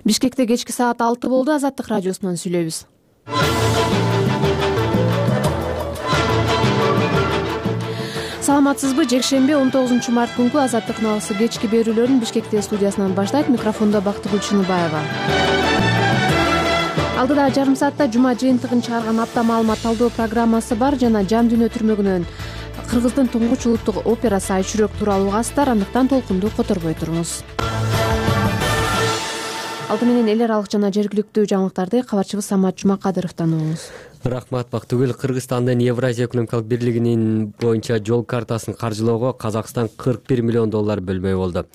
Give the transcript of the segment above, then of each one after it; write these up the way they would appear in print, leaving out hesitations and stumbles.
Бишкекте кечки саат 6 болду. Азаттык радиосунан сүйлөйбүз. Саламатсызбы? Жекшембе 19 март күнкү Азаттык налысы кечки берүүлөрүн Бишкекте студиясынан баштайт. Микрофондо Бактыгүл Чыныбаева. Алдыда жарым саатта жума жыйынтыгын чыгарган апта маалымат талдоо программасы бар жана Жан дүйнө түрмөгүнөн Кыргыздын туңгуч улуттук операсы Айчүрөк тууралуу угасыздар. Андыктан толкунду которбой туруңуз. Алты менен эл аралык жана жергиликтүү жаңылыктарды кабарчыбыз Самат Жумакадыровдон угуңуз. Рахмат Бактыгүл. Кыргызстандын Евразия экономикалык бирлигинин боюнча жол картасын каржылоого Казакстан $41 миллион бөлмөй болду.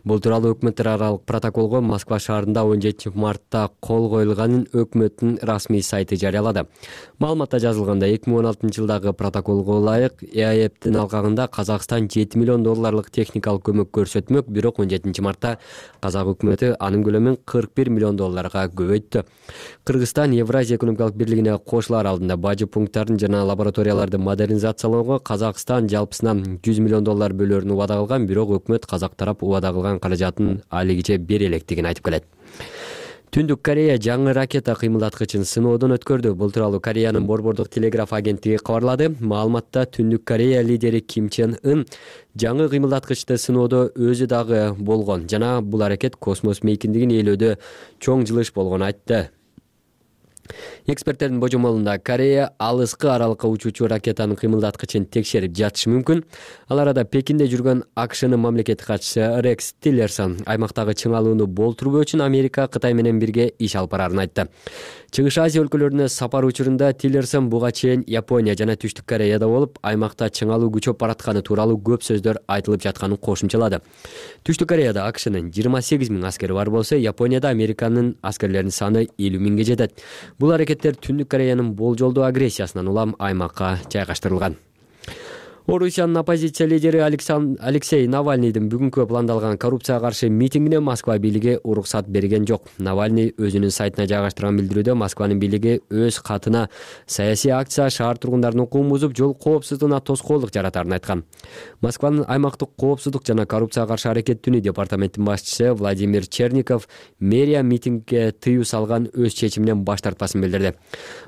Бул тууралуу өкмөттөр аралык протоколго Москва шаарында 17 мартта кол коюлганын өкмөттүн расмий сайты жарыялады. Маалыматта жазылгандай, 2016 жылдагы протоколго ылайык ЭАЭПтин алкагында Казакстан $7 миллион техникалык көмөк көрсөтмөк, бирок 17 мартта Казак өкмөтү анын көлөмүн $41 миллион көбөйттү. Кыргызстан Евразия экономикалык бирлигине кошулар алдында бажы пункттарын жана лабораторияларды модернизациялоого Казакстан жалпысынан $100 миллион бөлөрүн убада кылган, бирок өкмөт Казак тарап убада кылган каражатын алигиче бере электигин айтып келет. Түндүк Корея жаңы ракета кыймылдаткычын сыноодон өткөрдү. Бул тууралуу Кореянын борбордук телеграф агенттиги кабарлады. Маалыматта Түндүк Корея лидери Ким Чен Ын жаңы кыймылдаткычты сыноодо өзү дагы болгон жана бул аракет космос мейкиндигин ээлөөдө чоң жылыш болгонун айтты. Эксперттердин божомолунда Корея алыскы аралыкка учуучу ракетанын кыймылдаткычын текшерип жатышы мүмкүн. Ал арада Пекинде жүргөн АКШнын мамлекеттик катчысы Рекс Тиллерсон аймактагы чыңалууну болтурбоо үчүн Америка Кытай менен бирге иш алып барарын айтты. Чыгыш Азия өлкөлөрүнө сапар учурунда Тиллерсон буга чейин Япония жана Түштүк Кореяда болуп, аймакта чыңалуу күчөп баратканы тууралуу көп сөздөр айтылып жатканын кошумчалады. Түштүк Кореяда АКШнын 28 000 аскери бар болсо, Японияда Американын аскерлеринин саны 50 000 жетет. Бул аракеттер Түндүк Кореянын болжолдуу агрессиясынан улам аймакка жайгаштырылган. Орусиянын оппозиция лидери Алексей Навальныйдын бүгүнкү пландалган коррупцияга каршы митингине Москва бийлиги уруксат берген жок. Навальный өзүнүн сайтына жайгаштырган билдирүүдө Москванын бийлиги өз катына саясий акция шаар тургундарынын укугун бузуп, жол коопсуздугуна тоскоолдук жаратарын айткан. Москванын аймактык коопсуздук жана коррупцияга каршы аракеттүүнү департаменттин башчысы Владимир Черников мэрия митингге тыюу салган өз чечиминен баш тартпасын билдирди.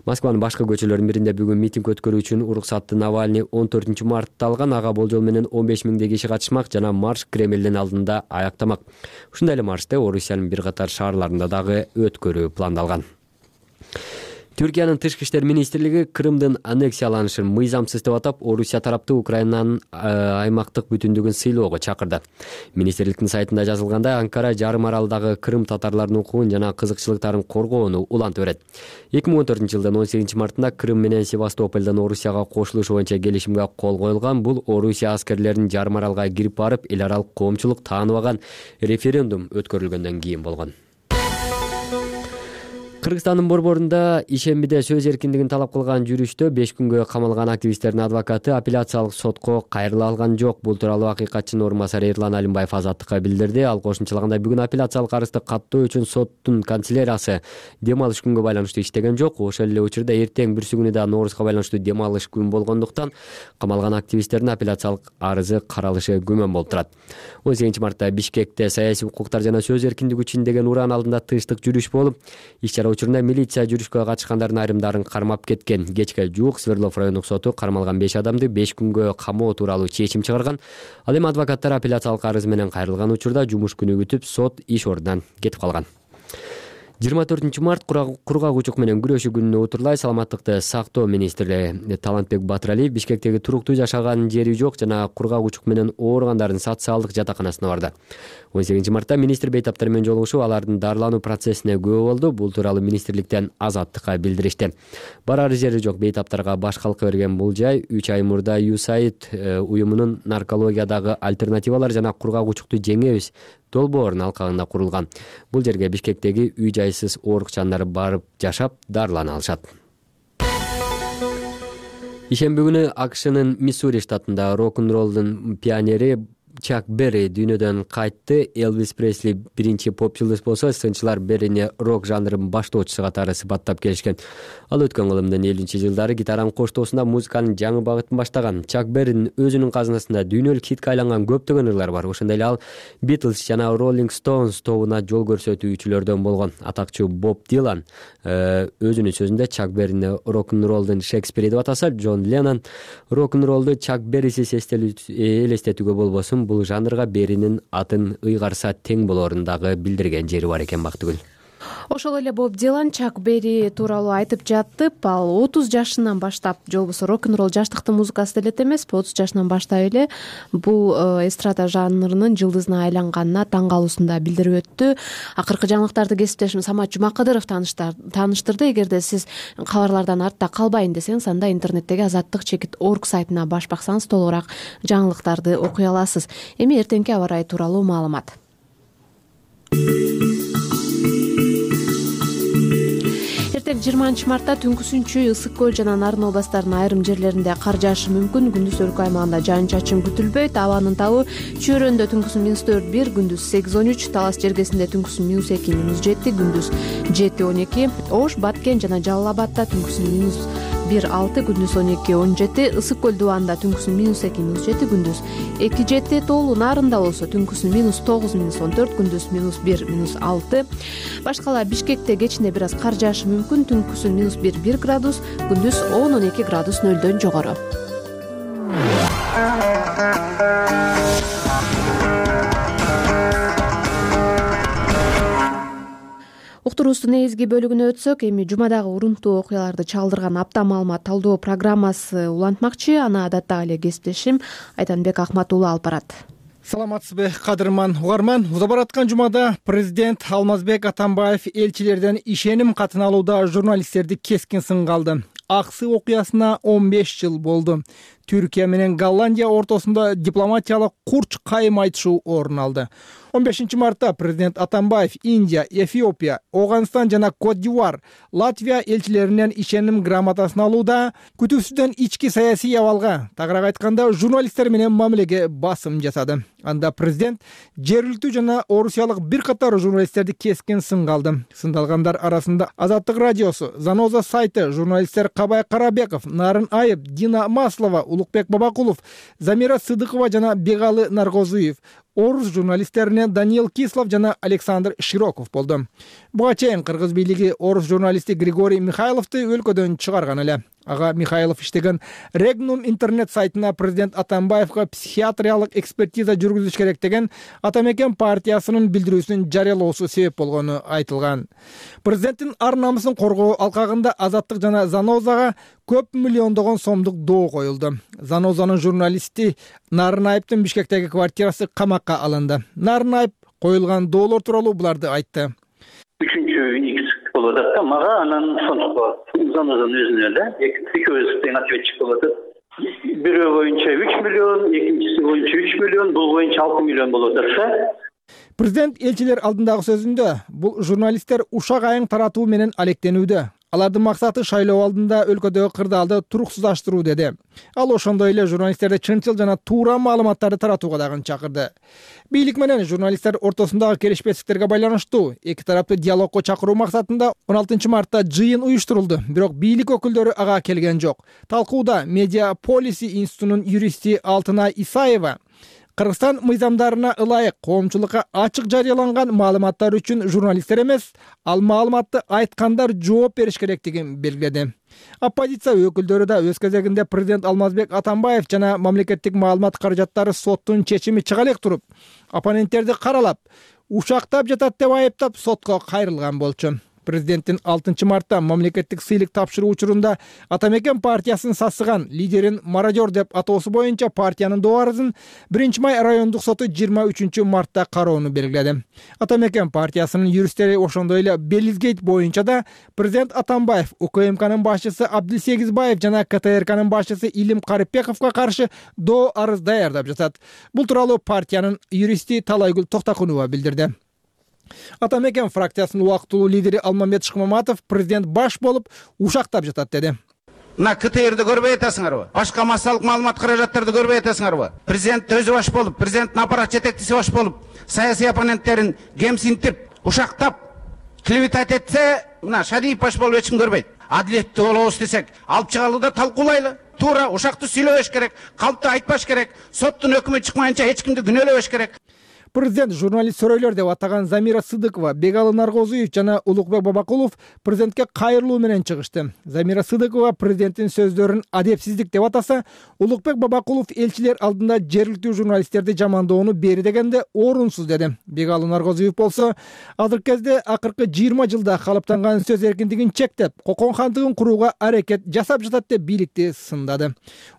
Москванын башкы көчөлөрүнүн биринде бүгүн митинг өткөрүү үчүн уруксатты Навальный 14 март алган. Ага болжол менен 15 000 киши катышмак жана марш Кремлдин алдында аяктамак. Ушундай эле маршты Орусиянын бир катар шаарларында дагы өткөрүү пландалган. Түркиянын тышкы иштер министрлиги Крымдын аннексияланышын мыйзамсыз деп атап, Орусия тарапты Украинанын аймактык бүтүндүгүн сыйлоого чакырды. Министрликтин сайтында жазылгандай, Анкара жарым аралдагы Крым татарларынын укугун жана кызыкчылыктарын коргоону улантып берет. 2014 жылдын 18 мартында Крым менен Севастополдон Орусияга кошулуш боюнча келишимге кол коюлган. Бул Орусия аскерлеринин жарым аралга кирип барып, эл аралык коомчулук тааныбаган референдум өткөрүлгөндөн кийин болгон. Кыргызстандын борборунда ишембиде сөз эркиндигин талап кылган жүрүштө 5 күнгө камалган активисттердин адвокаты апелляциялык сотко кайрыла алган жок. Бул тууралуу акыйкатчынын орун басары Эрлан Алимбаев Азаттыкка билдирди. Ал кошумчалагандай, бүгүн апелляциялык арызды каттоо үчүн соттун канцеляриясы дем алыш күнгө байланыштуу иштеген жок. Ошол эле учурда эртең бүрсүгүнү да Ноорузга байланыштуу дем алыш күн болгондуктан камалган активисттердин апелляциялык арызы каралышы күмөн болуп турат. 18 мартта Бишкекте саясий укуктар жана сөз эркиндиги үчүн деген ураан алдында тыштык жүрүш болуп, иш-чара учурунда милиция жүрүшкө катышкандардын айрымдарын кармап кеткен. Кечке жуук Свердлов райондук соту кармалган 5 адамды 5 күнгө камоо тууралуу чечим чыгарган. Ал эми адвокаттар апелляциялык арыз менен кайрылган учурда жумуш күнү күтүп, сот иш ордунан кетип калган. 24 март кургак учук менен күрөшүү күнүнө утурлай саламаттыкты сактоо министри Талантбек Батыралиев Бишкектеги туруктуу жашаган жери жок жана кургак учук менен ооругандардын социалдык жатаканасына барды. 18 мартта министр бейтаптар менен жолугушуп, алардын дарылануу процессине күбө болду. Бул тууралуу министрликтен Азаттыкка билдиришти. Барар жери жок бейтаптарга баш калка берген бул жай 3 ай мурда USAID уюмунун наркологиядагы альтернативалар жана кургак учукту жеңебиз долбоорунун алкагында курулган. Бул жерге Бишкектеги үй-жайсыз оорукчандар барып жашап, дарылана алышат. Ишемби күнү АКШнын Миссури штатында рок-н-роллдун пионери Чак Берри дүйнөдөн кайтты. Элвис Пресли биринчи поп жылдыз болсо, сынчылар Беррини рок жанрынын баштоочусу катары сыпаттап келишкен. Ал өткөн кылымдын 50-жылдары гитаранын коштоосунда музыканын жаңы багытын баштаган. Чак Берринин өзүнүн казынасында дүйнөлүк хитке айланган көптөгөн ырлар бар. Ошондой эле ал Beatles жана Rolling Stones тобуна жол көрсөтүүчүлөрдөн болгон. Атакчуу Боб Дилан өзүнүн сөзүндө Чак Беррини рок-н-ролдун Шекспири деп атаса, Джон Леннон рок-н-ролду Чак Беррисиз элестетүүгө болбосун, бул жанрга Берринин атын ыйгарса тең болоорун дагы билдирген жери бар экен Бактыгүл. Ошол эле Боб Дилан Чак Берри тууралуу айтып жатып, ал 30 жашынан баштап, же болбосо рок-н-ролл жаштыктын музыкасы деле эмеспи, 30 жашынан баштап эле бул эстрада жанрынын жылдызына айланганына таң калуусун да билдирип өттү. Акыркы жаңылыктарды кесиптешим Самат Жумакадыров тааныштырды. Эгерде сиз кабарлардан артта калбайын десеңиз, анда интернеттеги azаттык.org сайтына баш баксаңыз толугураак жаңылыктарды окуй аласыз. Эми эртеңки аба ырайы тууралуу маалымат. Эртең 20 мартта түнкүсүнчү Ысык көл жана Нарын областарынын айрым жерлеринде кар жаашы мүмкүн. Күндүз өлкө аймагында жаан-чачын күтүлбөйт. Абанын табы Чөйрөндө түнкүсүн -4-1, күндүз 8-13, Талас жергесинде түнкүсүн -2, -7, күндүз 7-12, Ош, Баткен жана Жалал Абадта түнкүсүн -1-6, күндүз 12-17, Ысык көл дубанында түнкүсүн -2, -7, күндүз 2-7, Тоолуу Нарында болсо түнкүсүн -9, -14, күндүз -1, -6. Башкала Бишкекте кечинде бир аз кар жаашы мүмкүн. Түнкүсүн -1 градус, күндүз 10-12 градус нөлдөн жогору. Уктуруубуздун негизги бөлүгүнө өтсөк, эми жумадагы урунттуу окуяларды чалдырган апта маалымат талдоо программасы улантмакчы. Аны адаттагы эле кесиптешим Айтанбек Акматуулу алып барат. Саламатсызбы, кадырман угарман. Уза бараткан жумада президент Алмазбек Атамбаев элчилерден ишеним катын алууда журналисттерди кескин сынга алды. Аксы окуясына 15 жыл болду. Түркия менен Голландия ортосунда дипломатиялык курч кайым айтышуу орун алды. 15 мартта президент Атамбаев Индия, Эфиопия, Оганстан жана Кот-д'Ивуар, Латвия элчилеринен ишеним грамотасын алууда күтүүсүздөн ички саясий абалга, тагыраак айтканда журналисттер менен мамилеге басым жасады. Анда президент жергиликтүү жана орусиялык бир катар журналисттерди кескин сынга алды. Сындалгандар арасында Азаттык радиосу, Заноза сайты, журналисттер Кабай Карабеков, Нарын Айып, Дина Маслова, Улукбек Бабакулов, Замира Сыдыкова жана Бегалы Наргозуев, орус журналисттеринен Даниил Кислов жана Александр Широков болду. Буга чейин кыргыз бийлиги орус журналисти Григорий Михайловду өлкөдөн чыгарган эле. Ага Михайлов иштеген Регнум интернет сайтына президент Атамбаевга психиатриялык экспертиза жүргүзүш керек деген Атамекен партиясынын билдирүүсүн жарыялоосу себеп болгону айтылган. Президенттин ар намысын коргоо алкагында Азаттык жана Занозага көп миллиондогон сомдук доо коюлду. Занозанын журналисти Нарын Айыптын Бишкектеги квартирасы камакка алынды. Нарын Айып коюлган доолор тууралуу буларды айтты. Болуп атат да, мага анан сондук Занозанын өзүнө эле экөөбүз тең ответчик болуп атат. Бирөө боюнча 3 миллион, экинчиси боюнча 3 миллион, бул боюнча 6 миллион болуп атат. Президент элчилер алдындагы сөзүндө бул журналисттер ушак айың таратуу менен алектенүүдө. Алардын максаты шайлоо алдында өлкөдөгү кырдаалды туруксуздаштыруу деди. Ал ошондой эле журналисттерди чынчыл жана туура маалыматтарды таратууга дагы чакырды. Бийлик менен журналисттер ортосундагы келишпестиктерге байланыштуу эки тараптуу диалогко чакыруу максатында 16 мартта жыйын уюштурулду. Бирок бийлик өкүлдөрү ага келген жок. Талкууда Медиа Полиси институтунун юристи Алтынай Исаева Кыргызстан мыйзамдарына ылайык коомчулукка ачык жарыяланган маалыматтар үчүн журналисттер эмес, ал маалыматты айткандар жооп бериш керектигин белгиледи. Оппозиция өкүлдөрү да өз кезегинде президент Алмазбек Атамбаев жана мамлекеттик маалымат каражаттары соттун чечими чыга элек туруп, оппоненттерди каралап, ушактап жатат деп айыптап сотко кайрылган болчу. Президенттин 6 мартта мамлекеттик сыйлык тапшыруу учурунда Атамекен партиясын сасыган лидерин мародер деп атоосу боюнча партиянын доо арызын 1 май райондук соту 23 мартта кароону белгиледи. Атамекен партиясынын юристтери ошондой эле Белизгейт боюнча да президент Атамбаев, УКМКнын башчысы Абдылсегизбаев жана КТРКнын башчысы Илим Карипбековго каршы доо арыз даярдап жатат. Бул тууралуу партиянын юристи Талайгүл Токтокунова билдирди. Атамекен фракциясынын убактылуу лидери Алмамет Шыкмаматов президент баш болуп ушактап жатат деди. Мына КТРди көрбөй атасыңарбы? Башка массалык маалымат каражаттарды көрбөй атасыңарбы? Президент өзү баш болуп, президенттин аппарат жетекчиси баш болуп, саясий оппоненттерин кемсинтип, ушактап, клеветать этсе, мына Шадиев баш болуп эч ким көрбөйт. Адилеттүү болобуз десек, алып чыгалы да талкуулайлы. Туура ушакты сүйлөбөш керек, калпты айтпаш керек, соттун өкмү чыкмайынча эч кимди күнөөлөбөш керек. Президент журналист сөрөйлөр деп атаган Замира Сыдыкова, Бегалы Наргозуев жана Улукбек Бабакулов президентке кайрылуу менен чыгышты. Замира Сыдыкова президенттин сөздөрүн адепсиздик деп атаса, Улукбек Бабакулов элчилер алдында жергиликтүү журналисттерди жамандоону бери дегенде орунсуз деди. Бегалы Наргозуев болсо, азыркы кезде акыркы 20 жылда калыптанган сөз эркиндигин чектеп, кокон хандыгын курууга аракет жасап жатат деп бийликти сындады.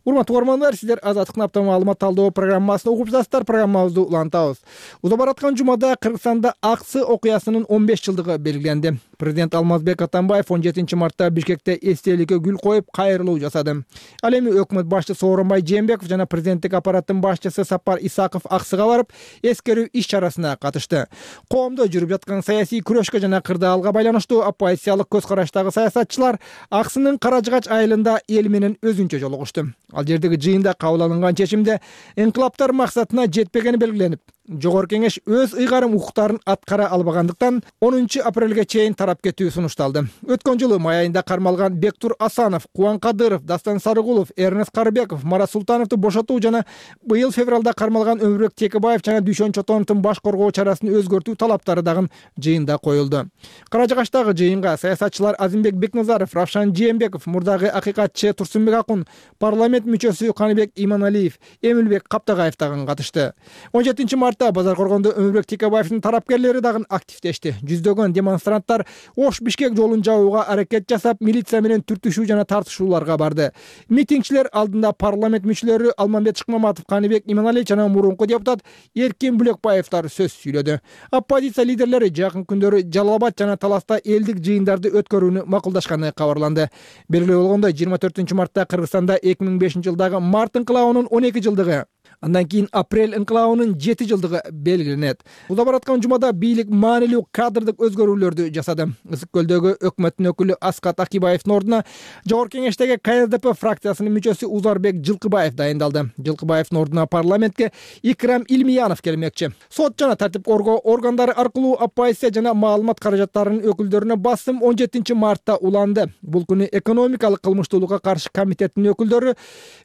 Урматтуу угармандар, сиздер Азаттыктын апта маалымат талдоо программасын угуп жатасыздар. Программабызды улантабыз. Уза бараткан жумада Кыргызстанда Аксы окуясынын 15 жылдыгы белгиленди. Президент Алмазбек Атамбаев 17 мартта Бишкекте эстеликке гүл коюп кайрылуу жасады. Ал эми өкмөт башчысы Сооронбай Жээнбеков жана президенттик аппараттын башчысы Сапар Исаков Аксыга барып, эскерүү иш чарасына катышты. Коомдо жүрүп жаткан саясий күрөшкө жана кырдаалга байланыштуу оппозициялык көз караштагы саясатчылар Аксынын Каражыгач айылында эл менен өзүнчө жолугушту. Ал жердеги жыйында кабыл алынган чечимде инкылаптар максатына жетпегени белгиленип, Жогорку Кеңеш өз ыйгарым укуктарын аткара албагандыктан 10 апрелге чейин тарап кетүү сунушталды. Өткөн жылы май айында кармалган Бектур Асанов, Кубан Кадыров, Дастан Сарыгулов, Эрнест Карыбеков, Марат Султановду бошотуу жана быйыл февралда кармалган Өмүрбек Текебаев жана Дүйшөн Чотоновдун баш коргоо чарасын өзгөртүү талаптары дагы жыйында коюлду. Каражыгачтагы жыйынга саясатчылар Азимбек Бекназаров, Равшан Жээнбеков, мурдагы акыйкатчы Турсунбек Акун, парламент мүчөсү Каныбек Иманалиев, Эмилбек Каптагаев дагы катышты. 17 мартта Базар Коргондо Өмүрбек Текебаевдин тарапкерлери дагы активдешти. Жүздөгөн демонстранттар Ош-Бишкек жолун жабууга аракет жасап, милиция менен түртүшүү жана тартышууларга барды. Митингчилер алдында парламент мүчөлөрү Алмамбет Шыкмаматов, Каныбек Иманалиев жана мурунку депутат Эркин Бүлөкбаевдар сөз сүйлөдү. Оппозиция лидерлери жакын күндөрү Жалал Абад жана Таласта элдик жыйындарды өткөрүүнү макулдашканы кабарланды. Белгилүү болгондой, 24 мартта Кыргызстанда 2005 жылдагы март инкылабынын 12 жылдыгы, андан кийин апрель инкылабынын 7 жылдыгы белгиленет. Уза бараткан жумада бийлик маанилүү кадрдык өзгөрүүлөрдү жасады. Ысык көлдөгү өкмөттүн өкүлү Аскат Акибаевдин ордуна Жогорку Кеңештеги КСДП фракциясынын мүчөсү Узарбек Жылкыбаев дайындалды. Жылкыбаевдин ордуна парламентке Икрам Илмиянов келмекчи. Сот жана тартип коргоо органдары аркылуу оппозиция жана маалымат каражаттарынын өкүлдөрүнө басым 17 мартта уланды. Бул күнү экономикалык кылмыштуулукка каршы комитеттин өкүлдөрү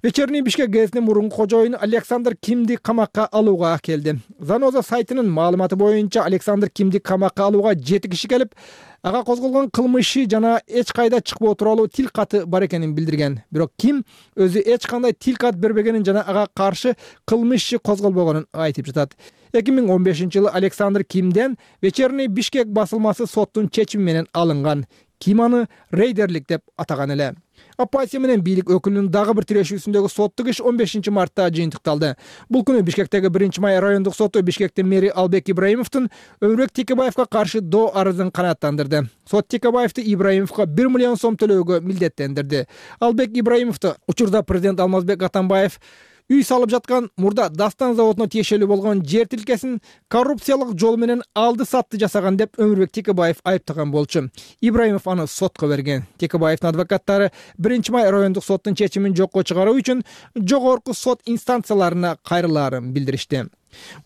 Вечерний Бишкек газетинин мурунку кожоюну Александр Кимди камакка алууга келди. Заноза сайтынын маалыматы боюнча Александр Кимди камакка алууга 7 киши келип, ага козголгон кылмышы жана эч кайда чыкпоо тууралуу тил каты бар экенин билдирген. Бирок Ким өзү эч кандай тил кат бербегенин жана ага каршы кылмыш козголбогонун айтып жатат. 2015 жылы Александр Кимден Вечерний Бишкек басылмасы соттун чечими менен алынган. Ким аны рейдерлик деп атаган эле. Оппозиция менен бийлик өкүлүнүн дагы бир тирешүүсүндөгү соттук иш 15 мартта жыйынтыкталды. Бул күнү Бишкектеги 1-май райондук соту Бишкектин мэри Албек Ибраимовдун Өмүрбек Текебаевга каршы доо арызын канааттандырды. Сот Текебаевди Ибраимовго 1 миллион сом төлөөгө милдеттендирди. Албек Ибраимовду учурда президент Алмазбек Атамбаев үй салып жаткан мурда Дастан заводуна тиешелүү болгон жер тилкесин коррупциялык жол менен алды сатты жасаган деп Өмүрбек Текебаев айыптаган болчу. Ибраимов аны сотко берген. Текебаевдин адвокаттары 1-май райондук соттун чечимин жокко чыгаруу үчүн жогорку сот инстанцияларына кайрылаарын билдиришти.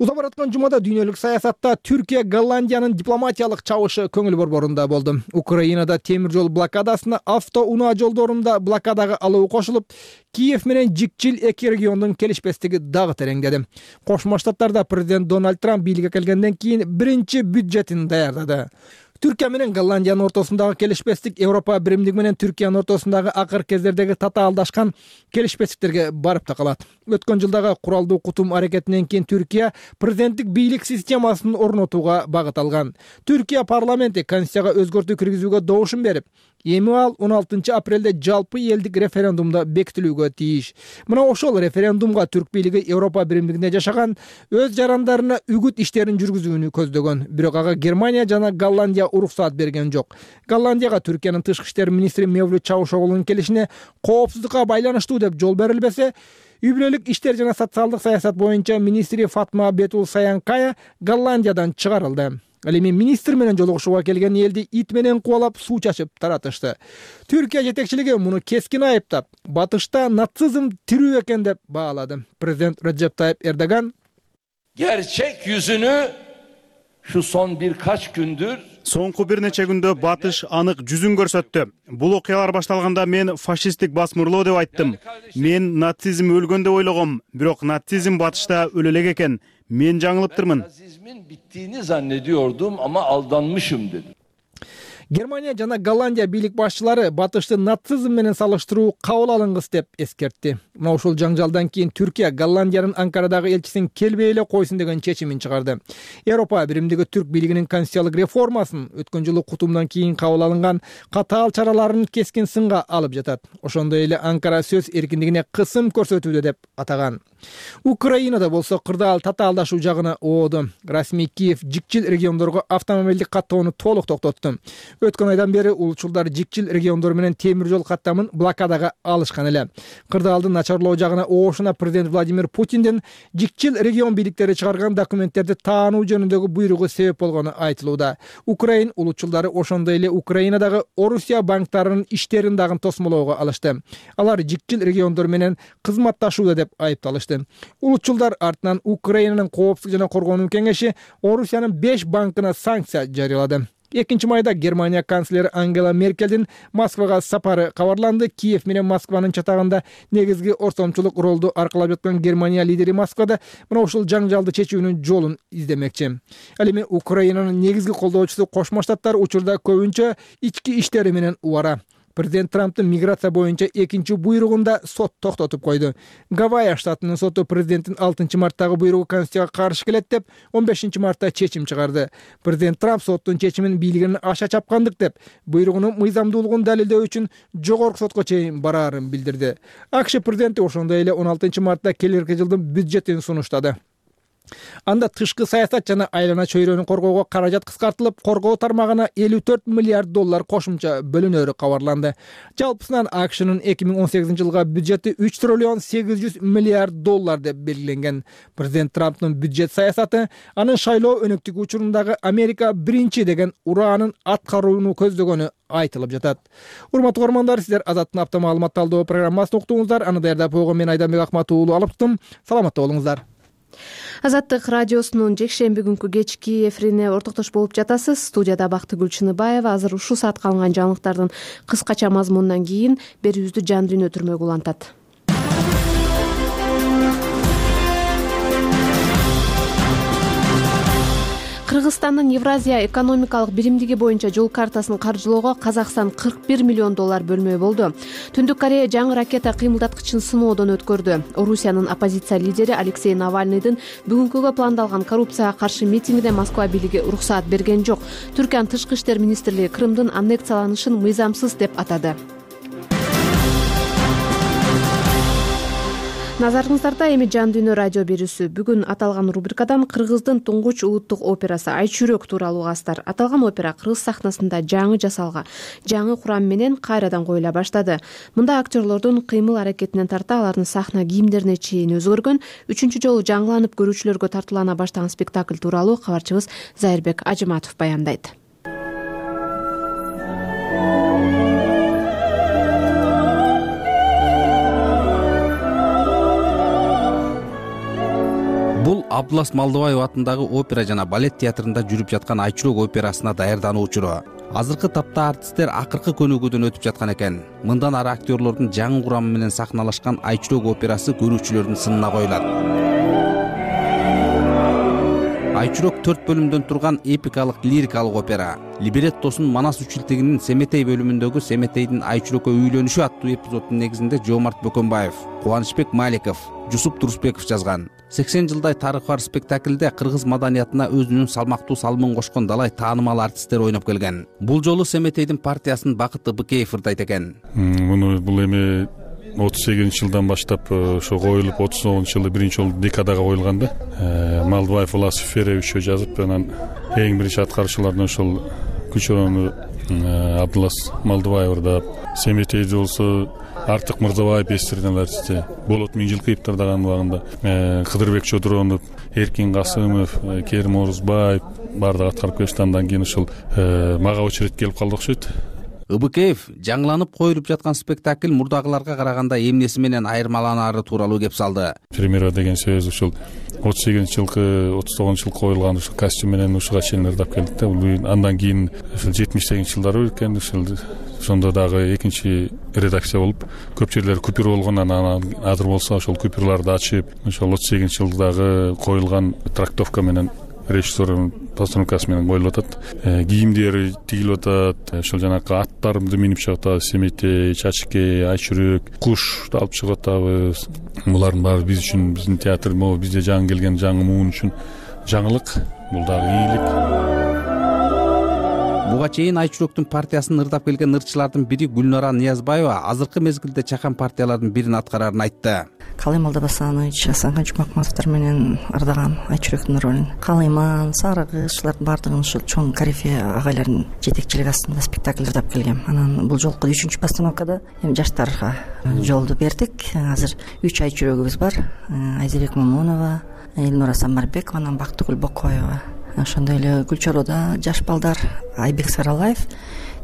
Уза бараткан жумада дүйнөлүк саясатта Түркия Голландиянын дипломатиялык чабышы көңүл борборунда болду. Украинада темир жол блокадасына автоунаа жолдорунда блокадага алуу кошулуп, Киев менен жикчил эки региондун келишпестиги дагы тереңдеди. Кошмо Штаттарда президент Дональд Трамп бийликке келгенден кийин биринчи бюджетин даярдады. Түркия менен Голландиянын ортосундагы келишпестик Европа биримдиги менен Түркиянын ортосундагы акыркы кездердеги татаалдашкан келишпестиктерге барып такалат. Өткөн жылдагы куралдуу кутум аракетинен кийин Түркия президенттик бийлик системасын орнотууга багыт алган. Түркия парламенти конституцияга өзгөртүү киргизүүгө добушун берип, эми ал 16 апрелде жалпы элдик референдумда бекитилүүгө тийиш. Мына ошол референдумга түрк бийлиги Европа биримдигинде жашаган өз жарандарына үгүт иштерин жүргүзүүнү көздөгөн. Бирок ага Германия жана Голландия уруксаат берген жок. Голландияга Түркиянын тышкы иштер министри Мевлют Чавушоглунун келишине коопсуздукка байланыштуу деп жол берилбесе, үй бүлөлүк иштер жана социалдык саясат боюнча министри Фатма Бетул Саянкая Голландиядан чыгарылды. Ал эми министр менен жолугушууга келген элди ит менен кубалап суу чачып таратышты. Түркия жетекчилиги муну кескин айыптап, батышта нацизм тирүү экен деп баалады. Президент Recep Tayyip Erdogan gerçek yüzünü şu son birkaç gündür Соңку бир нече күндө батыш анык жүзүн көрсөттү. Бул окуялар башталганда мен фашисттик басмырлоо деп айттым. Мен нацизм өлгөн деп ойлогом, бирок нацизм батышта өлө элек экен. Мен жаңылыптырмын. Nazizmin bittiğini zannediyordum ama aldanmışım dedim. Германия жана Голландия бийлик башчылары батышты нацизм менен салыштыруу кабыл алынгыс деп эскертти. Мына ушул жаңжалдан кийин Түркия Голландиянын Анкарадагы элчисин келбей эле койсун деген чечимин чыгарды. Европа биримдиги түрк бийлигинин конституциялык реформасын өткөн жылы кутумдан кийин кабыл алынган катаал чараларын кескин сынга алып жатат. Ошондой эле Анкара сөз эркиндигине кысым көрсөтүүдө деп атаган. Украинада болсо кырдаал татаалдашуу жагына ооду. Расмий Киев жикчил региондорго автомобилдик каттоону толук токтотту. Өткөн айдан бери улутчулдар жикчил региондор менен темир жол каттамын блокадага алышкан эле. Кырдаалдын начарлоо жагына оошуна президент Владимир Путиндин жикчил регион бийликтери чыгарган документтерди таануу жөнүндөгү буйругу себеп болгону айтылууда. Украин улутчулдары ошондой эле Украинадагы Орусия банктарынын иштерин дагы тосмолоого алышты. Алар жикчил региондор менен кызматташууда деп айыпталышты. Улутчулдар артынан Украинанын коопсуздук жана коргонуу кеңеши Орусиянын 5 банкына санкция жарыялады. 2 майда Германия канцлери Ангела Меркелдин Москвага сапары кабарланды. Киев менен Москванын чатагында негизги ортомчулук ролду аркалап жаткан Германия лидери Москвада мына ушул жаңжалды чечүүнүн жолун издемекчи. Ал эми Украинанын негизги колдоочусу Кошмо Штаттар учурда көбүнчө ички иштери менен убара. Президент Трамптын миграция боюнча экинчи буйругунда сот токтотуп койду. Гавайя штатынын соту президенттин 6 марттагы буйругу конституцияга каршы келет деп 15 мартта чечим чыгарды. Президент Трамп соттун чечимин бийлигинин аша чапкандык деп, буйругунун мыйзамдуулугун далилдөө үчүн жогорку сотко чейин бараарын билдирди. АКШ президенти ошондой эле 16 мартта келерки жылдын бюджетин сунуштады. Анда тышкы саясат жана айлана чөйрөнү коргоого каражат кыскартылып, коргоо тармагына 54 миллиард доллар кошумча бөлүнөрү кабарланды. Жалпысынан АКШнын 2018 жылга бюджети 3 триллион 800 миллиард доллар деп белгиленген. Президент Трамптын бюджет саясаты анын шайлоо өнөктүгү учурундагы Америка биринчи деген ураанын аткарууну көздөгөнү айтылып жатат. Урматтуу көрөрмандар, сиздер Азаттын апта маалымат талдоо программасын уктуңуздар. Аны даярдап койгон мен Айданбек Акматуулу алыптым. Саламатта болуңуздар. Азаттык радиосунун жекшемби күнкү кечки эфирине ортоктош болуп жатасыз. Студияда Бактыгүл Чыныбаева. Азыр ушул саатка алынган жаңылыктардын кыскача мазмунунан кийин берүүбүздү Жан Дүйнө Түрмөгүл улантат. Кыргызстандын Евразия экономикалык биримдиги боюнча жол картасын каржылоого Казакстан 41 миллион доллар бөлмөй болду. Түндүк Корея жаңы ракета кыймылдаткычын сыноодон өткөрдү. Орусиянын оппозиция лидери Алексей Навальныйдын бүгүнкүгө пландалган коррупцияга каршы митингине Москва бийлиги уруксаат берген жок. Түркиянын тышкы иштер министрлиги Крымдын аннексияланышын мыйзамсыз деп атады. Назарыңыздарда эми Жан Дүйнө радио берүүсү. Бүгүн аталган рубрикадан Кыргыздын туңгуч улуттук операсы Айчүрөк тууралуу угасыздар. Аталган опера кыргыз сахнасында жаңы жасалга, жаңы курам менен кайрадан коюла баштады. Мында актерлордун кыймыл аракетинен тарта алардын сахна кийимдерине чейин өзгөргөн. 3-чү жолу жаңыланып көрүүчүлөргө тартуулана баштаган спектакль тууралуу кабарчыбыз Зайырбек Ажыматов баяндайт. Бул Абдулас Малдыбаев атындагы опера жана балет театрында жүрүп жаткан Айчүрөк операсына даярдануу учуру. Азыркы тапта артисттер акыркы көнүгүүдөн өтүп жаткан экен. Мындан ары актерлордун жаңы курамы менен сахналашкан Айчүрөк операсы көрүүчүлөрдүн сынына коюлат. Айчүрөк 4 бөлүмдөн турган эпикалык лирикалык опера. Либреттосун Манас үчүлтегинин Семетей бөлүмүндөгү Семетейдин Айчүрөккө үйлөнүшү аттуу эпизоддун негизинде Жомарт Бөкөнбаев, Кубанычбек Маликов, Жусуп Турусбеков жазган. 80 жылдай тарыхы бар спектакльде кыргыз маданиятына өзүнүн салмактуу салымын кошкон далай таанымал артисттер ойноп келген. Бул жолу Семетейдин партиясын Бакыты Быкеев ырдайт экен. Бул эми 38 жылдан баштап ошо коюлуп 39 жылы биринчи жолу декадага коюлган да. Малдыбаев Улас Ферович жазып, анан эң биринчи аткаруучулардан ошол Күчөрөнү Абдулас Малдыбаев ырдап, Семетейди болсо Артык Мырзабаев эстирген артисти, Болот Миңжилкыев ырдаган убагында Кыдырбек Чодуронов, Эркин Касымов, Керим Орузбаев, баардыгы аткарып келишти. Андан кийин ушул мага очередь келип калды окшойт. ыбыкеев жаңыланып коюлуп жаткан спектакль мурдагыларга караганда эмнеси менен айырмаланаары тууралуу кеп салды. Премьера деген сөз ушул 38-жылкы 39-жылкы коюлган ушул костюм менен ушуга чейин ырдап келдик да. Бул андан кийин ушул 70-жылдары экен, ушул ошондо дагы экинчи редакция болуп көп жерлер купюр болгон. Анан азыр болсо ошол купюрларды ачып ошол 38-жылдагы коюлган трактовка менен режиссердун постановкасы менен коюлуп атат. Кийимдери тигилип атат. Ошол жанакы аттарымды минип чыгып атабыз. Семетей, Чачке, Айчүрөк, Кушты алып чыгып атабыз. Булардын баары биз үчүн, биздин театр, могу бизде жаңы келген жаңы муун үчүн жаңылык. Бул дагы ийгилик. Буга чейин Айчүрөктүн партиясын ырдап келген ырчылардын бири Гүлнара Ниязбаева азыркы мезгилде чакан партиялардын бирин аткарарын айтты. Калыйман Алдабасанович, Асанхан Жумакматовдор менен ырдаган Айчүрөктүн ролун. Калыйман, Сарыгыз ушулардын баардыгын ушул чоң корифей агайлардын жетекчилиги астында спектакль ырдап келгем. Анан бул жолку 3-чү постановкада эми жаштарга жолду бердик. Азыр 3 Айчүрөгүбүз бар. Айзерек Момунова, Элнура Самарбекова, анан Бактыгүл Бокоева. Ошондой эле Гүлчороодо жаш балдар Айбек Саралаев,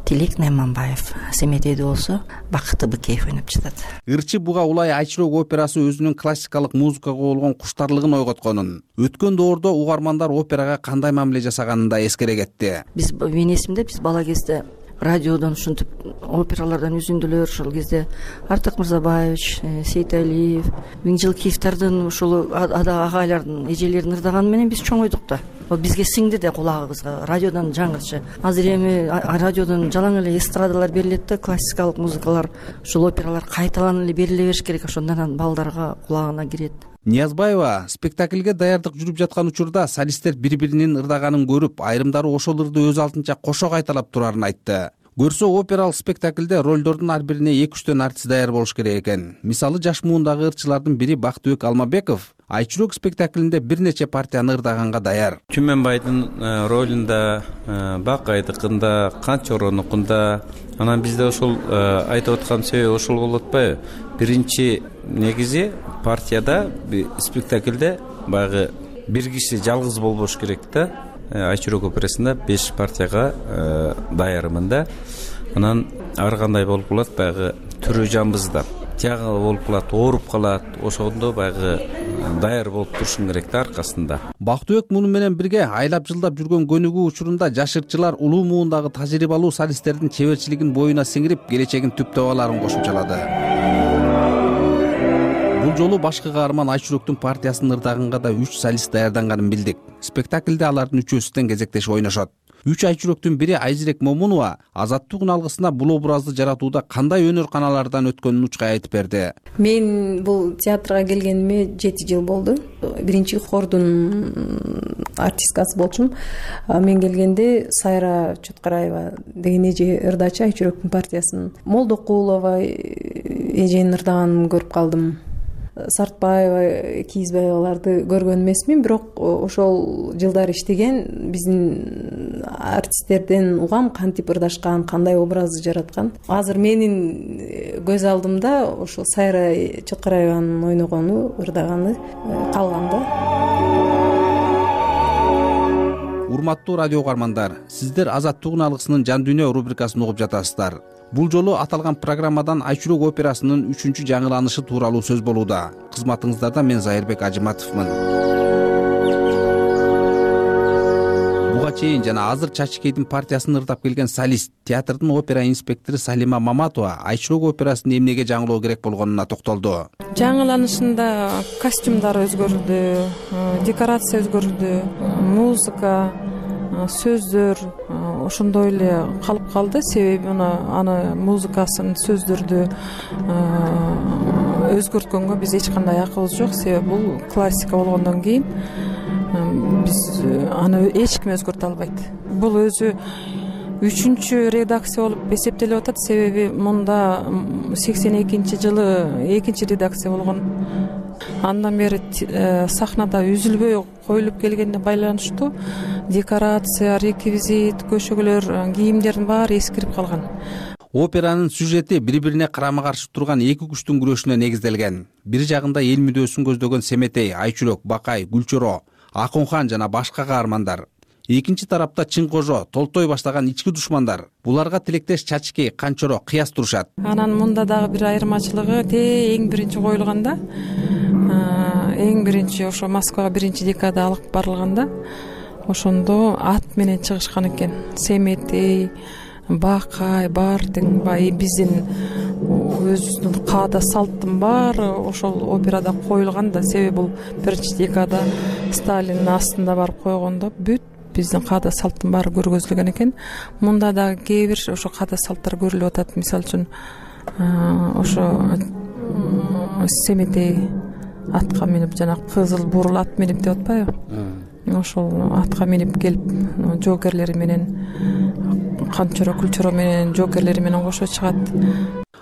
Тилек Найманбаев, Семетейде болсо Бакыт Ыбыкеев ойноп жатат. Ырчы буга улай Айчүрөк операсы өзүнүн классикалык музыкага болгон куштарлыгын ойготконун, өткөн доордо угармандар операга кандай мамиле жасаганын да эскере кетти. Менин эсимде биз бала кезде радиодон ушинтип опералардан үзүндүлөр, ошол кезде Артык Мырзабаевич, Сейталиев, Миңжилкиевдин ушул агайлардын эжелерин ырдаганы менен биз чоңойдук да. Бизге сиңди да кулагыбызга радиодон жаңырчы. Азыр эми радиодон жалаң эле эстрадалар берилет да, классикалык музыкалар, ушул опералар кайталанып эле бериле бериш керек. Ошондон балдарга кулагына кирет. Ниязбаева спектакльге даярдык жүрүп жаткан учурда солисттер бири-биринин ырдаганын көрүп, айрымдары ошол ырды өз алдынча кошо кайталап турарын айтты. Көрсө опералык спектакльде ролдордун ар бирине 2-3 артист даяр болуш керек экен. Мисалы жаш муундагы ырчылардын бири Бактыбек Алмабеков Айчүрөк спектаклинде бир нече партияны ырдаганга даяр. Түмөнбайдын ролунда, Бакайдыкында, Канчоронукунда, анан бизде ошол айтып аткан себеби ошол болуп атпайбы? Биринчи негизи партияда спектакльде баягы бир киши жалгыз болбош керек да. Айчүрөк операсында 5 партияга даярмын да. Анан ар кандай болуп калат, баягы түрү жамбызда тягы болуп калат, ооруп калат. Ошондо баягы даяр болуп турушуң керек да аркасында. Бактыбек муну менен бирге айлап жылдап жүргөн көнүгүү учурунда жаш ырчылар улуу муундагы тажрыйбалуу солисттердин чеберчилигин боюна сиңирип, келечегин түптөп аларын кошумчалады. Бул жолу башкы каарман Айчүрөктүн партиясын ырдаганга да 3 солист даярданганын билдик. Спектакльде алардын үчөөсү тең кезектешип ойношот. 3 Айчүрөктүн бири Айзерек Момунова Азаттык алгысына бул образды жаратууда кандай өнөр каналардан өткөнүн учкай айтып берди. Мен бул театрга келгениме 7 жыл болду. Биринчи хордун артисткасы болчумун. Мен келгенде Сайра Чоткараева деген эже ырдачы Айчүрөктүн партиясын. Молдокулова эженин ырдаганын көрүп калдым. Сартбаева, Кийизбаеваларды көргөн эмесмин, бирок ошол жылдар иштеген биздин артисттерден угам кантип ырдашкан, кандай образды жараткан. Азыр менин көз алдымда ошол Сайра Чоткараеванын ойногону, ырдаганы калган да. Урматтуу радио угармандар, сиздер Азаттык алгысынын Жан дүйнө рубрикасын угуп жатасыздар. Бул жолу аталган программадан Айчүрөк операсынын 3-чү жаңыланышы тууралуу сөз болууда. Кызматыңыздарда мен Зайырбек Ажыматовмун. Буга чейин жана азыр Чачкейдин партиясын ырдап келген солист, театрдын опера инспектору Салима Маматова Айчүрөк операсын эмнеге жаңылоо керек болгонуна токтолду. Жаңыланышында костюмдар өзгөрдү, декорация өзгөрдү, музыка, сөздөр ошондой эле калып калды. Себеби аны музыкасын, сөздөрдү өзгөрткөнгө биз эч кандай акыбыз жок. Себеби бул классика болгондон кийин биз аны эч ким өзгөртө албайт. Бул өзү 3-чү редакция болуп эсептелип атат. Себеби мында 82-жылы 2-чи редакция болгон. Андан бери сахнада үзүлбөй коюлуп келгенине байланыштуу декорация, реквизит, көшөгөлөр, кийимдердин баары эскирип калган. Операнын сюжети бири-бирине карама-каршы турган эки күчтүн күрөшүнө негизделген. Бир жагында эл мүдөөсүн көздөгөн Семетей, Айчүрөк, Бакай, Гүлчоро, Акунхан жана башка каармандар. Экинчи тарапта чың кожо, толтой баштаган ички душмандар. Буларга тилектеш Чачкей, Канчоро кыяс турушат. Анан мында дагы бир айырмачылыгы эң биринчи коюлганда, эң биринчи ошо Москвага 1-декада алып барылганда, ошондо ат менен чыгышкан экен. Семетей, Бакай, бар тең биздин өзүбүздүн каада салттын баары ошол операда коюлган да. Себеби бул 1-декада Сталиндин астында барып койгондо бүт биздин каада салттын баары көргөзүлгөн экен. Мында дагы кээ бир ошо каада салттар көрүлүп атат. Мисалы үчүн ошо Семетей атка минип, жана кызыл бурул ат минип деп атпайбы? Ошол атка минип келип жоокерлери менен, Канчоро, Күлчөро менен жоокерлери менен кошо чыгат.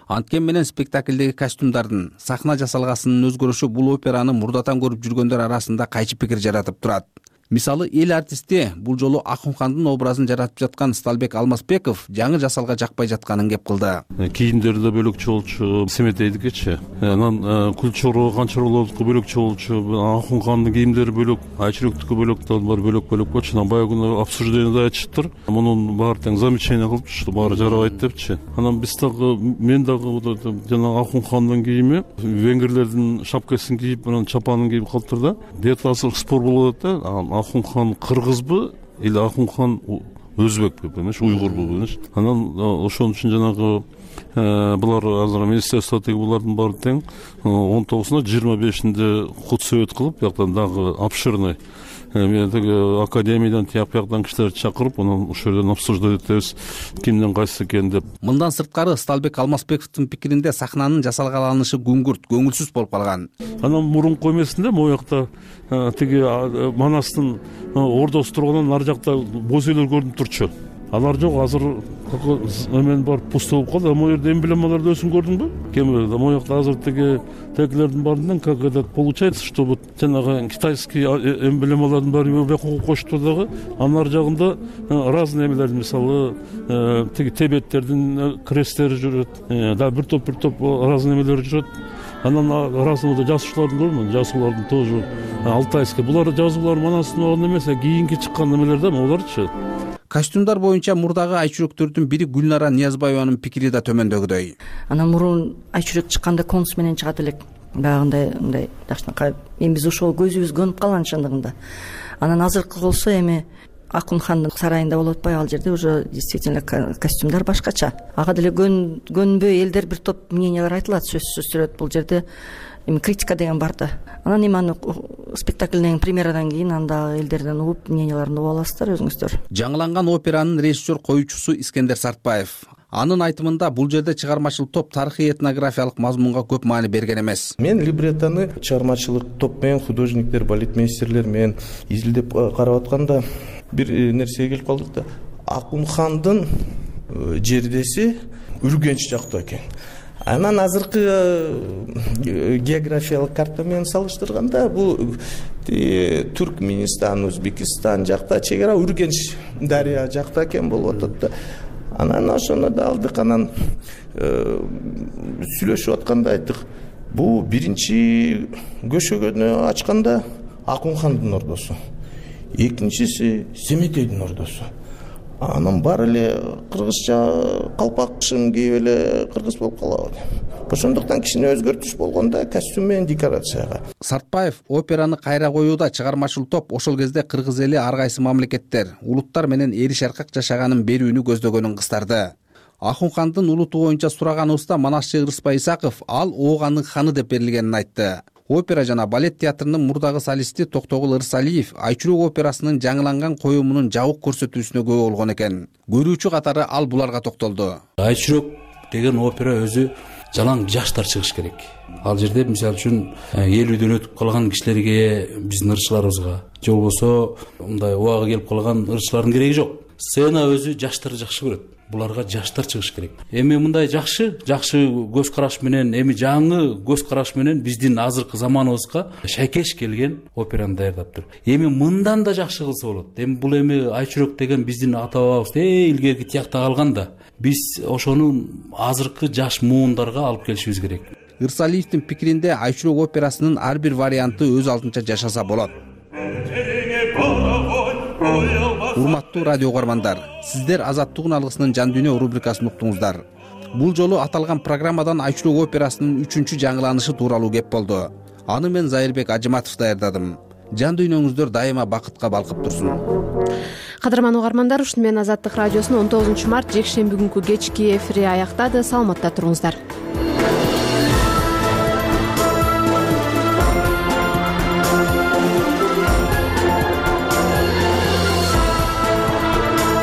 Анткен менен спектаклдеги костюмдардын, сахна жасалгасынын өзгөрүшү бул операны мурдатан көрүп жүргөндөр арасында кайчы пикир жаратып турат. Мисалы, эл артисти бул жолу Акунхандын образын жаратып жаткан Сталбек Алмазбеков жаңы жасалга жакпай жатканын кеп кылды. Кийимдери да бөлөкчө болчу, Семетейдикичи. Анан Күлчөро, Канчоролордуку бөлөкчө болчу, Акунхандын кийимдери бөлөк, Айчүрөктүкү бөлөк, бар бөлөк болчу. Анан баягы күнү обсуждениеде айтышыптыр. Мунун баары тең замечание кылыпчы, баары жарабайт депчи. Анан биз дагы, мен дагы жана Акунхандын кийими, венгрлердин шапкасын кийип, анан чапанын кийип калыптыр да. Детасы спор болуп атат да. Акунхан кыргызбы или Акунхан өзбекпи, понимаешь, уйгурбу, понимаешь. Анан ошон үчүн жанагы булар азыр министерстводагы булардын баары тең 19-на 25-inde кут сөйөт кылып, бияктан дагы обширный мен теги академиядан тияк бияктан кишилерди чакырып, анан ошол жерден обсуждать этебиз, кимдин кайсы экен деп. Мындан сырткары Сталбек Алмазбековдун пикиринде сахнанын жасалгаланышы күңгүрт, көңүлсүз болуп калган. Анан мурунку эмесинде могу жакта тиги Манастын ордосу тургандан ар жакта боз үйлөр көрүнүп турчу. Алар жок, азыр эмен бар пусто болуп калды. Могу жерде эмблемаларды өзүң көрдүңбү? Кемелерде могу жакта азыр тегилердин баарынан как этот получается, что вот жанагы китайский эмблемалардын баары бияка коштур дагы, анын ар жагында разный эмелер, мисалы тиги тебеттердин кресттери жүрөт, да бир топ разный эмелер жүрөт. Анан разный жазуучулардын көрмөн, жазуулардын тоже алтайский. Булар жазуулар Манастын огон эмес, кийинки чыккан эмелер да, буларчы. Костюмдар боюнча мурдагы айчүрөктөрдүн бири Гүлнара Ниязбаеванын пикири да төмөндөгүдөй. Анан мурун айчүрөк чыкканда конус менен чыгат элек. Багындай мындай жакшынакай эми биз ошол көзүбүз көнүп калган чындыгында. Анан азыркы болсо эми Акунхандын сарайында болуп атпайбы, ал жерде уже действительно костюмдар башкача. Ага деле көнбөй элдер бир топ мнениялар айтылат, сөзсүз сүрөт. Бул жерде эми критика деген бар да. Анан эми аны спектаклден премьерадан кийин анда элдерден угуп мненияларын угуп аласыздар өзүңүздөр. Жаңыланган операнын режиссер коюучусу Искендер Сартбаев. Анын айтымында бул жерде чыгармачыл топ тарыхый этнографиялык мазмунга көп маани берген эмес. Мен либреттону чыгармачылык топ менен, художниктер, балетмейстерлер менен изилдеп карап атканда бир нерсеге келип калдык да. Акунхандын жердеси Үргөнч жакта экен. Анан азыркы географиялык карта менен салыштырганда бул Түркмөнстан, Өзбекстан жакта чегара Үргөнч дарыя жакта экен болуп атат да. Анан ошону да алдык, анан сүйлөшүп атканда айттык. Бул биринчи көшөгөнү ачканда Акунхандын ордосу. Экинчиси Семетейдин ордосу. Анан баары эле кыргызча калпакшым кийип эле кыргыз болуп калабы. Ошондуктан кичине өзгөртүш болгондо костюм менен декорацияга. Сартбаев операны кайра коюуда чыгармачыл топ ошол кезде кыргыз эли ар кайсы мамлекеттер, улуттар менен эриш аркак жашаганын берүүнү көздөгөнүн кыстарды. Акунхандын улуту боюнча сураганыбызда Манасчы Ырыспай Исаков ал Оогандын ханы деп берилгенин айтты. Опера жана балет театрынын мурдагы солисти Токтогул Ырсалиев Айчүрөк операсынын жаңыланган коюмунун жабык көрсөтүүсүнө күбө болгон экен. Көрүүчү катары ал буларга токтолду. Айчүрөк деген опера өзү жалаң жаштар чыгыш керек. Ал жерде мисалы үчүн 50-дөн өтүп калган кишилерге, биздин ырчыларыбызга, же болбосо мындай убагы келип калган ырчылардын кереги жок. Сцена өзү жаштарды жакшы көрөт. Буларга жаштар чыгыш керек. Эми мындай жакшы көз караш менен, эми жаңы көз караш менен биздин азыркы заманыбызга шайкеш келген операны даярдаптыр. Эми мындан да жакшы кылса болот. Эми бул эми Айчүрөк деген биздин ата бабабыз илгерки тиякта калган да. Биз ошону азыркы жаш муундарга алып келишибиз керек. Ырсалиевдин пикиринде Айчүрөк операсынын ар бир варианты өз алдынча жашаса болот. урматтуу радио угармандар, сиздер Азаттык үн алгысынын Жан дүйнө рубрикасын уктуңуздар. Бул жолу аталган программадан Айчурок операсынын 3-чү жаңыланышы тууралуу кеп болду. Аны мен Зайырбек Ажыматов даярдадым. Жан дүйнөңүздөр дайыма бакытка балкып турсун. Кадырман угармандар, ушуну менен Азаттык радиосунун 19 март жекшемби күнкү кечки эфири аяктады. Саламатта туруңуздар.